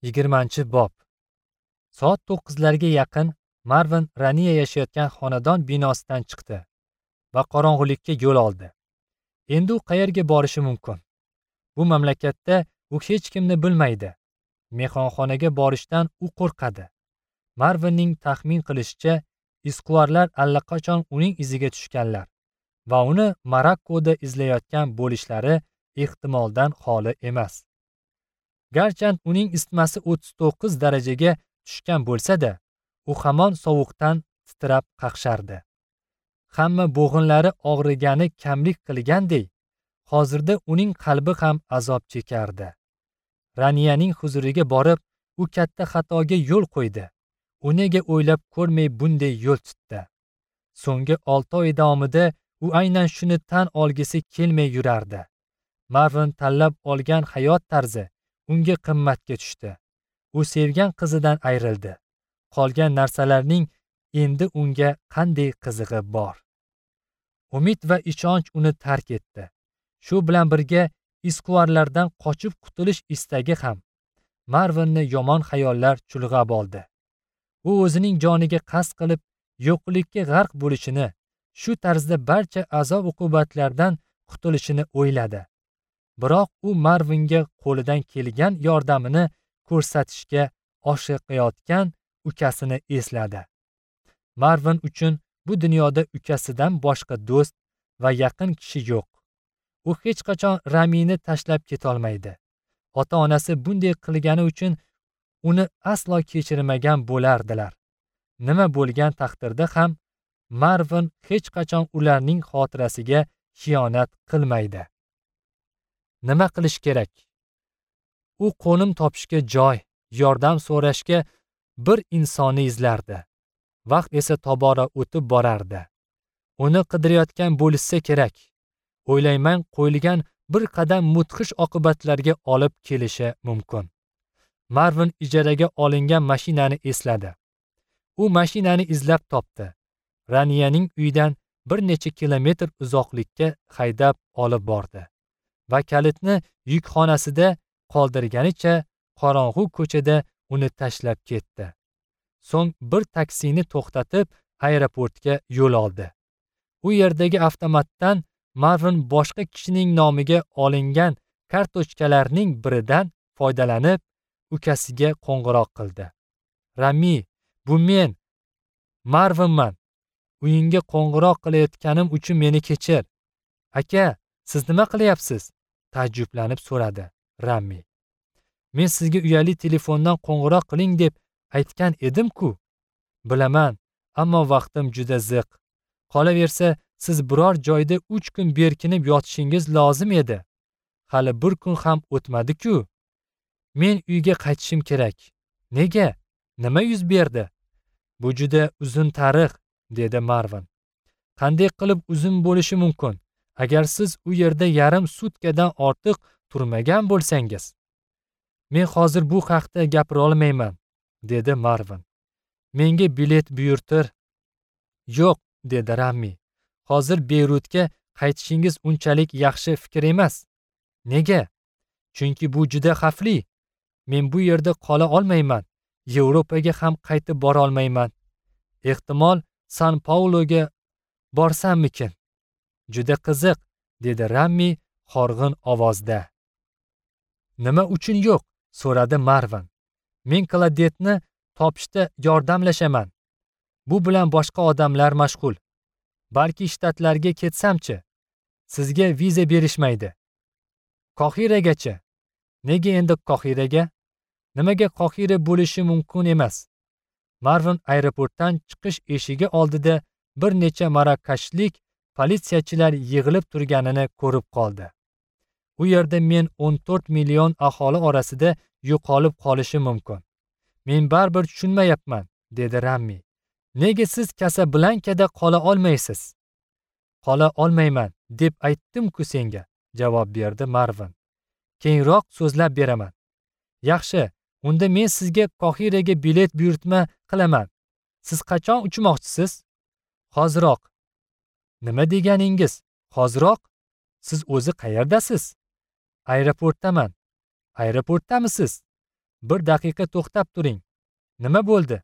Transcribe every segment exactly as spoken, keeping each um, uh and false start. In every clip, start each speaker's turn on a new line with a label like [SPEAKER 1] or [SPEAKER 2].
[SPEAKER 1] Yigirmanchi bob. Soat to'qqizlarga yaqin Marvin Raniya yashayotgan xonadon binosidan chiqdi va qorong'ulikka yo'l oldi. Endi u qayerga borishi mumkin? Bu mamlakatda u hech kimni bilmaydi. Mehmonxonaga borishdan u qo'rqadi. Marvinning taxmin qilishicha, izquvarlar allaqachon uning iziga tushganlar va uni Marokkoda izlayotgan bo'lishlari ehtimoldan xoli emas. Garchand uning isitmasi o'ttiz to'qqiz darajaga tushgan bo'lsa-da, u hamon sovuqdan titrab qaqshardi. Hamma bo'g'inlari og'rigani kamlik qilgandek, hozirda uning qalbi ham azob chekardi. Raniyaning huzuriga borib, u katta xatoga yo'l qo'ydi. U nega o'ylab ko'rmay bunday yo'l tutdi? So'nggi olti oy davomida u aynan shuni tan olgisi kelmay yurardi. Marvin tanlab olgan hayot tarzi unga qimmatga tushdi. U sevgan qizidan ayrildi. Qolgan narsalarning endi unga qanday qizig'i bor? Umid va ishonch uni tark etdi. Shu bilan birga izquvarlardan qochib qutulish istagi ham Marvinni yomon xayollar chulg'ab oldi. U o'zining joniga qasd qilib yo'qlikka g'arq bo'lishini, shu tarzda barcha azob-uqubatlardan qutulishini o'yladi. Biroq u Marvinga qo'lidan kelgan yordamini ko'rsatishga oshiqayotgan ukasini esladi. Marvin uchun bu dunyoda ukasidan boshqa do'st va yaqin kishi yo'q. U hech qachon Ramini tashlab ketolmaydi. Ota-onasi bunday qilgani uchun uni aslo kechirmagan bo'lardilar. Nima bo'lgan taqdirda ham Marvin hech qachon ularning xotirasiga xiyonat qilmaydi. Nima qilish kerak? U qo'nim topishga joy, yordam so'rashga bir insonni izlardi. Vaqt esa tobora o'tib borardi. Uni qidirayotgan bo'lishsa kerak. O'ylayman, qo'yilgan bir qadam mudhish oqibatlarga olib kelishi mumkin. Marvin ijaraga olingan mashinani esladi. U mashinani izlab topdi. Raniyaning uyidan bir necha kilometr uzoqlikka haydab olib bordi va kalitni yukxonasida qoldirganicha qorong'u ko'chada uni tashlab ketdi. So'ng bir taksini to'xtatib aeroportga yo'l oldi. U yerdagi avtomatdan Marvin boshqa kishining nomiga olingan kartochkalarning biridan foydalanib ukasiga qo'ng'iroq qildi. Rami, bu men, Marvinman. Uyingga qo'ng'iroq qilayotganim uchun meni kechir. Aka, siz nima qilyapsiz? Taajjublanib so'radi Rami. Men sizga uyali telefondan qo'ng'iroq qiling deb aytgan edim-ku. Bilaman, ammo vaqtim juda ziq. Qolaversa, siz biror joyda uch kun berkinib yotishingiz lozim edi. Hali bir kun ham o'tmadi-ku. Men uyga qaytishim kerak. Nega? Nima yuz berdi? Bu juda uzun tarix, dedi Marvin. Qanday qilib uzun bo'lishi mumkin, agar siz u yerda yarim sutkadan ortiq turmagan bo'lsangiz? Men hozir bu haqda gapira olmayman, dedi Marvin. Menga bilet buyurtir. Yo'q, dedi Rami. Hozir Beyrutga qaytishingiz unchalik yaxshi fikr emas. Nega? Chunki bu juda xavfli. Men bu yerda qola olmayman. Yevropaga ham qaytib bora olmayman. Ehtimol San Pauloga borsammikin? Juda qiziq, dedi Rami horg'in ovozda. Nima uchun yo'q? So'radi Marvin. Men Kladetni topishda yordamlashaman. Bu bilan boshqa odamlar mashg'ul. Balki shtatlarga ketsamchi? Sizga viza berishmaydi. Qohiragacha? Nega endi Qohiraga? Nimaga Qohira bo'lishi mumkin emas? Marvin aeroportdan chiqish eshigi oldida bir necha marokashlik politsiyachilar yig'ilib turganini ko'rib qoldi. U yerda men o'n to'rt million aholi orasida yo'qolib qolishim mumkin. Men baribir tushunmayapman, dedi Rami. Nega siz Kasablankada qola olmaysiz? Qola olmayman deb aytdim-ku senga, javob berdi Marvin. Keyinroq so'zlab beraman. Yaxshi, unda men sizga Qohiraga bilet buyurtma qilaman. Siz qachon uchmoqchisiz? Hoziroq. Nima deganingiz? Hoziroq? Siz o'zi qayerdasiz? Aeroportdaman. Aeroportdamisiz? Bir daqiqa to'xtab turing. Nima bo'ldi?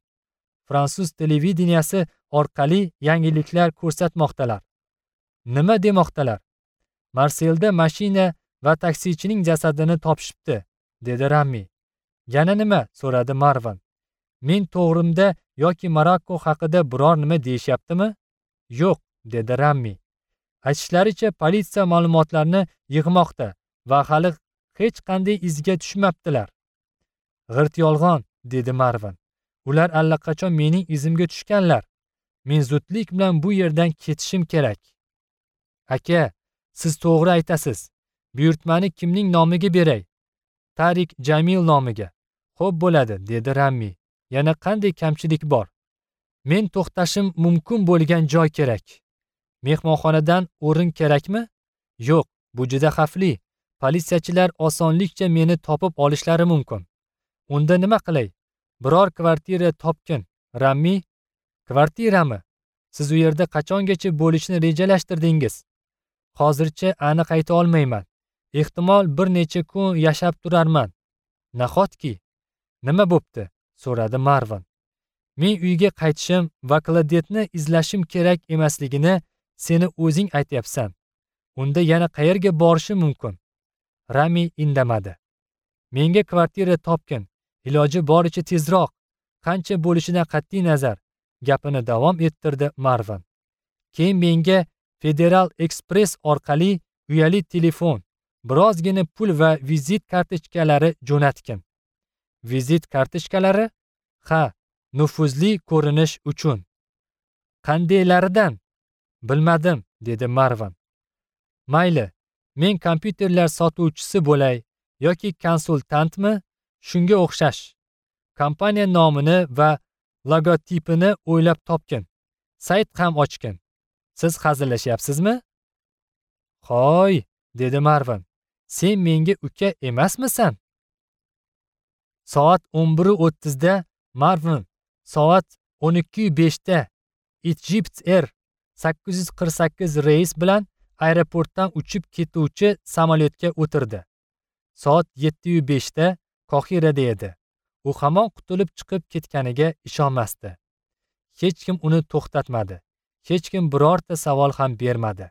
[SPEAKER 1] Fransuz televideniyasi orqali yangiliklar ko'rsatmoqdalar. Nima demoqdalar? Marselda mashina va taksichining jasadini topishibdi, dedi Rammi. Yana nima? So'radi Marvan. Men to'g'rimda yoki Marokko haqida biror nima deyishyaptimi? Yo'q, dedi Rammi. Aytishlaricha, politsiya ma'lumotlarni yig'moqda va hali hech qanday izga tushmabdilar. G'irt yolg'on, dedi Marvan. Ular allaqachon mening izimga tushganlar. Men zudlik bilan bu yerdan ketishim kerak. Aka, siz to'g'ri aytasiz. Buyurtmani kimning nomiga beray? Tarik Jamil nomiga. Xo'p bo'ladi, dedi Rammi. Yana qanday kamchilik bor? Men to'xtashim mumkin bo'lgan joy kerak. Mehmonxonadan o'rin kerakmi? Yo'q, bu juda xavfli. Politsiyachilar osonlikcha meni topib olishlari mumkin. Unda nima qilay? Biror kvartira topgin, Rammi. Kvartirami? Siz u yerda qachongacha bo'lishni rejalashtirdingiz? Hozircha aniq ayta olmayman. Ehtimol bir necha kun yashab turarman. Nahotki? Nima bo'pti? So'radi Marvan. Men uyga qaytishim va Klodetni izlashim kerak emasligini seni o'zing aytyapsan. Unda yana qayerga borishim mumkin? Rami indamadi. Menga kvartira topgin, iloji boricha tezroq, qancha bo'lishidan qat'iy nazar, gapini davom ettirdi Marvan. Keyin menga Federal Express orqali uyali telefon, birozgina pul va vizit kartochkalari jo'natgin. Vizit kartochkalari? Ha, nufuzli ko'rinish uchun. Qandaylaridan? Bilmadim, dedi Marvan. Mayli, men kompyuterlar sotuvchisi bo'lay yoki konsultantmi, shunga o'xshash. Kompaniya nomini va logotipini o'ylab topgin. Sayt ham ochgin. Siz hazillashyapsizmi? Hoy, dedi Marvan. Sen menga uka emasmisan? Soat o'n bir o'ttizda Marvan, soat o'n ikki beshda Egypt Air sakkiz yuz qirq sakkiz reys bilan aeroportdan uchib ketuvchi samolyotga o'tirdi. Soat yetti beshda Qohirada edi. U hamon qutulib chiqib ketganiga ishonmasdi. Hech kim uni to'xtatmadi. Hech kim birorta savol ham bermadi.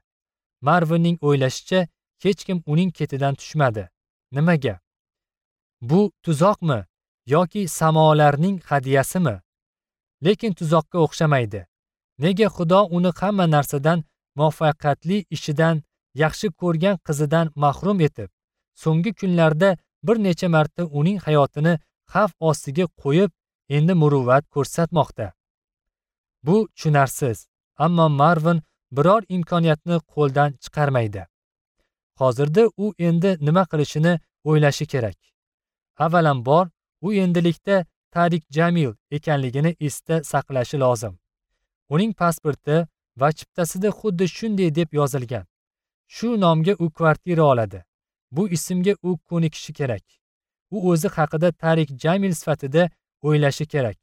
[SPEAKER 1] Marvinning o'ylashicha, hech kim uning ketidan tushmadi. Nimaga? Bu tuzoqmi yoki samolarning hadiyasimi? Lekin tuzoqqa o'xshamaydi. Nega Xudo uni hamma narsadan, muvaffaqiyatli ishidan, yaxshi ko'rgan qizidan mahrum etib, so'nggi kunlarda bir necha marta uning hayotini xavf ostiga qo'yib, endi muruvvat ko'rsatmoqda? Bu tushunarsiz, ammo Marvin biror imkoniyatni qo'ldan chiqarmaydi. Hozirda u endi nima qilishini o'ylashi kerak. Avvalambor, u endilikda Tarik Jamil ekanligini esda saqlashi lozim. Uning pasporti va chiptasida xuddi shunday deb yozilgan. Shu nomga u kvartira oladi. Bu ismga u ko'nikishi kerak. U o'zi haqida Tarik Jamil sifatida o'ylashi kerak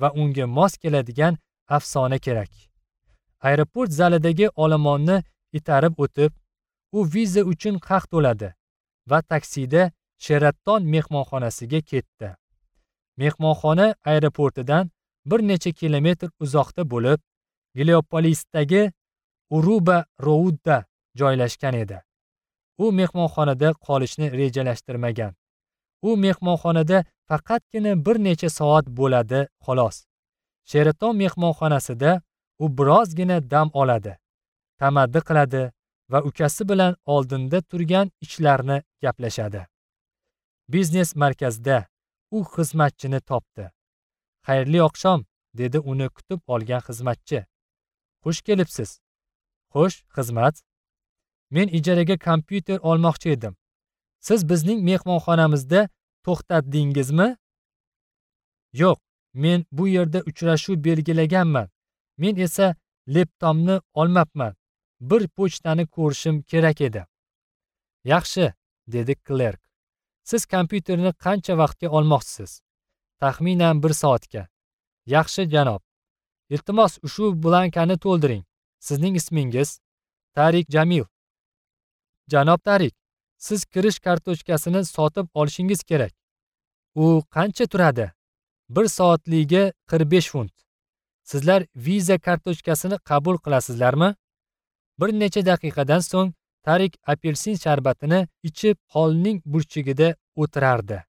[SPEAKER 1] va unga mos keladigan afsona kerak. Aeroport zalidagi olomonni itarib o'tib, u viza uchun haq to'ladi va taksida Sheraton mehmonxonasiga ketdi. Mehmonxona aeroportidan bir necha kilometr uzoqda bo'lib, Geliopolisdagi Uruba Roudda joylashgan edi. U mehmonxonada qolishni rejalashtirmagan. U mehmonxonada faqatgina bir necha soat bo'ladi, xolos. Sheraton mehmonxonasida u birozgina dam oladi, tamaddi qiladi va ukasi bilan oldinda turgan ishlarni gaplashadi. Biznes markazida u xizmatchini topdi. Xayrli oqshom, dedi uni kutib olgan xizmatchi. Xush kelibsiz. Xo'sh, xizmat. Men ijaraga kompyuter olmoqchi edim. Siz bizning mehmonxonamizda to'xtatdingizmi? Yo'q, men bu yerda uchrashuv belgilaganman. Men esa laptopni olmabman. Bir pochtani ko'rishim kerak edi. Yaxshi, dedi klerk. Siz kompyuterni qancha vaqtga olmoqchisiz? Taxminan bir soatga. Yaxshi, janob. Iltimos, ushbu blankani to'ldiring. Sizning ismingiz? Tarik Jamil. Janob Tarik, siz kirish kartochkasini sotib olishingiz kerak. U qancha turadi? Bir soatligiga qirq besh funt. Sizlar Visa kartochkasini qabul qilasizlarmi? Bir necha daqiqadan so'ng Tarik apelsin sharbatini ichib holning burchagida o'tirardi.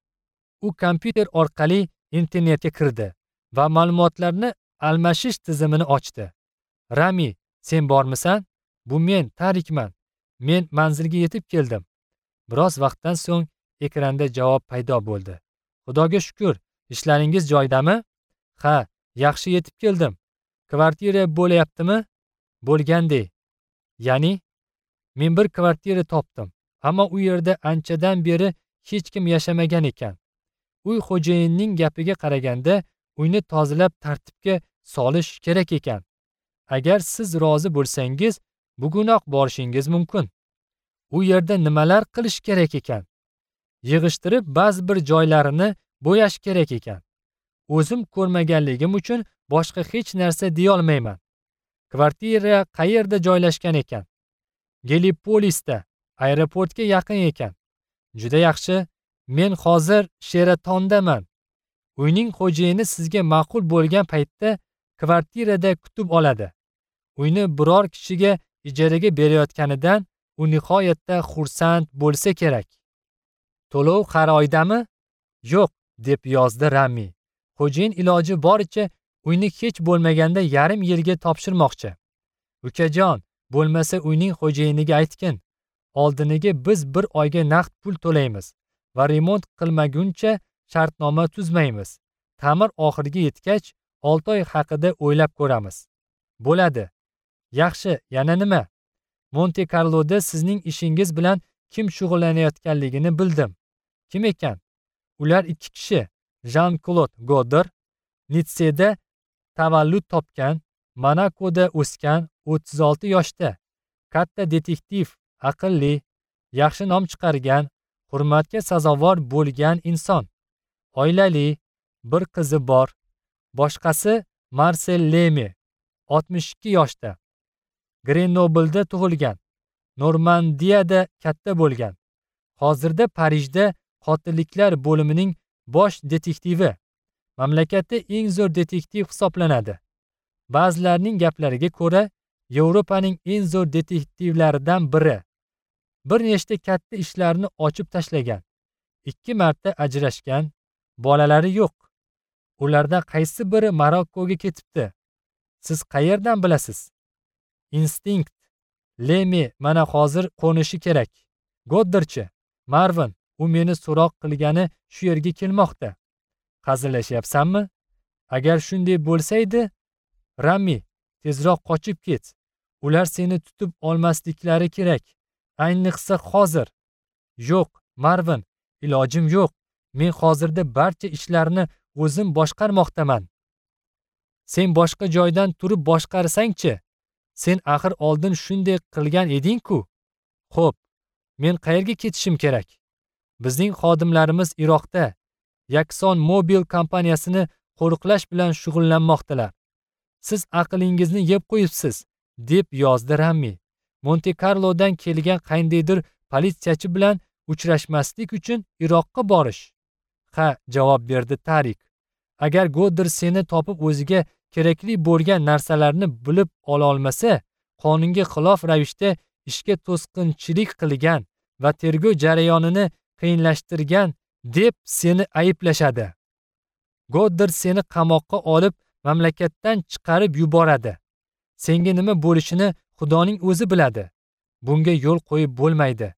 [SPEAKER 1] U kompyuter orqali internetga kirdi va ma'lumotlarni almashish tizimini ochdi. Rami, sen bormisan? Bu men, Tarikman. Men manzilga yetib keldim. Biroz vaqtdan so'ng ekranda javob paydo bo'ldi. Xudoga shukr, ishlaringiz joyidami? Ha, yaxshi yetib keldim. Kvartira bo'layaptimi? Bo'lgandek. Ya'ni men bir kvartira topdim, ammo u yerda anchadan beri hech kim yashamagan ekan. Uy xo'jayinining gapiga qaraganda uyni tozalab tartibga solish kerak ekan. Agar siz rozi bo'lsangiz, bugunoq borishingiz mumkin. U yerda nimalar qilish kerak ekan? Yig'ishtirib ba'zi bir joylarini bo'yash kerak ekan. O'zim ko'rmaganligim uchun boshqa hech narsa deya olmayman. Kvartira qayerda joylashgan ekan? Gelipolisda, aeroportga yaqin ekan. Juda yaxshi, men hozir Sheratondaman. Uyning xo'jayini sizga ma'qul bo'lgan paytda kvartirada kutib oladi. Uyni biror kishiga ijaraga berayotganidan u nihoyatda xursand bo'lsa kerak. To'lov har oydami? Yo'q, deb yozdi Rami. Xo'jayin iloji boricha uyni hech bo'lmaganda yarim yilga topshirmoqchi. Ukajon, bo'lmasa uyning xo'jayiniga aytgin. Oldiniga biz bir oyga naqd pul to'laymiz va remont qilmaguncha shartnoma tuzmaymiz. Ta'mir oxiriga yetgach, olti oy haqida o'ylab ko'ramiz. Bo'ladi. Yaxshi, yana nima? Monte Carloda sizning ishingiz bilan kim shug'ullanayotganligini bildim. Kim ekan? Ular ikki kishi. Jean-Claude Godder, Nitseda tavallud topgan, Monakoda o'sgan, o'ttiz olti yoshda. Katta detektiv, aqlli, yaxshi nom chiqargan, hurmatga sazovor bo'lgan inson. Oilali, bir qizi bor. Boshqasi Marcel Leme, oltmish ikki yoshda. Grenoblda tug'ilgan, Normandiyada katta bo'lgan. Hozirda Parijda qotilliklar bo'limining bosh detektivi. Mamlakatda eng zo'r detektiv hisoblanadi. Ba'zilarning gaplariga ko'ra, Yevropaning eng zo'r detektivlaridan biri. Bir nechta katta ishlarni ochib tashlagan. Ikki marta ajrashgan, bolalari yo'q. Ulardan qaysi biri Marokkoga ketibdi? Siz qayerdan bilasiz? Instinkt. Leme mana hozir qo'nishi kerak. Godderchi, Marvin, u meni so'roq qilgani shu yerga kelmoqda. Hazillashyapsanmi? Agar shunday bo'lsaydi, Rami, tezroq qochib ket. Ular seni tutib olmasliklari kerak. Ayniqsa hozir. Yo'q, Marvin, ilojim yo'q. Men hozirda barcha ishlarni o'zim boshqarmoqdaman. Sen boshqa joydan turib boshqarsang-chi? Sen axir oldin shunday qilgan eding-ku. Xo'p, men qayerga ketishim kerak? Bizning xodimlarimiz Iroqda Yakson Mobil kompaniyasini qo'riqlash bilan shug'ullanmoqdalar. Siz aqlingizni yeb qo'yibsiz, deb yozdi Rami. Monte Carlodan kelgan qandaydir politsiyachi bilan uchrashmaslik uchun Iroqqa borish. Ha, javob berdi Tarik. Agar Godder seni topib o'ziga kerakli bo'lgan narsalarni bilib ola olmasa, qonunga xilof ravishda ishga to'sqinchilik qilgan va tergov jarayonini qiyinlashtirgan deb seni ayblashadi. Godder seni qamoqqa olib, mamlakatdan chiqarib yuboradi. Senga nima bo'lishini Xudoning o'zi biladi. Bunga yo'l qo'yib bo'lmaydi.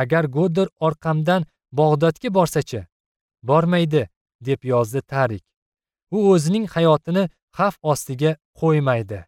[SPEAKER 1] Agar Godder orqamdan Bag'dodga borsa-chi? Bormaydi, deb yozdi Tarik. U o'zining hayotini xavf ostiga qo'ymaydi.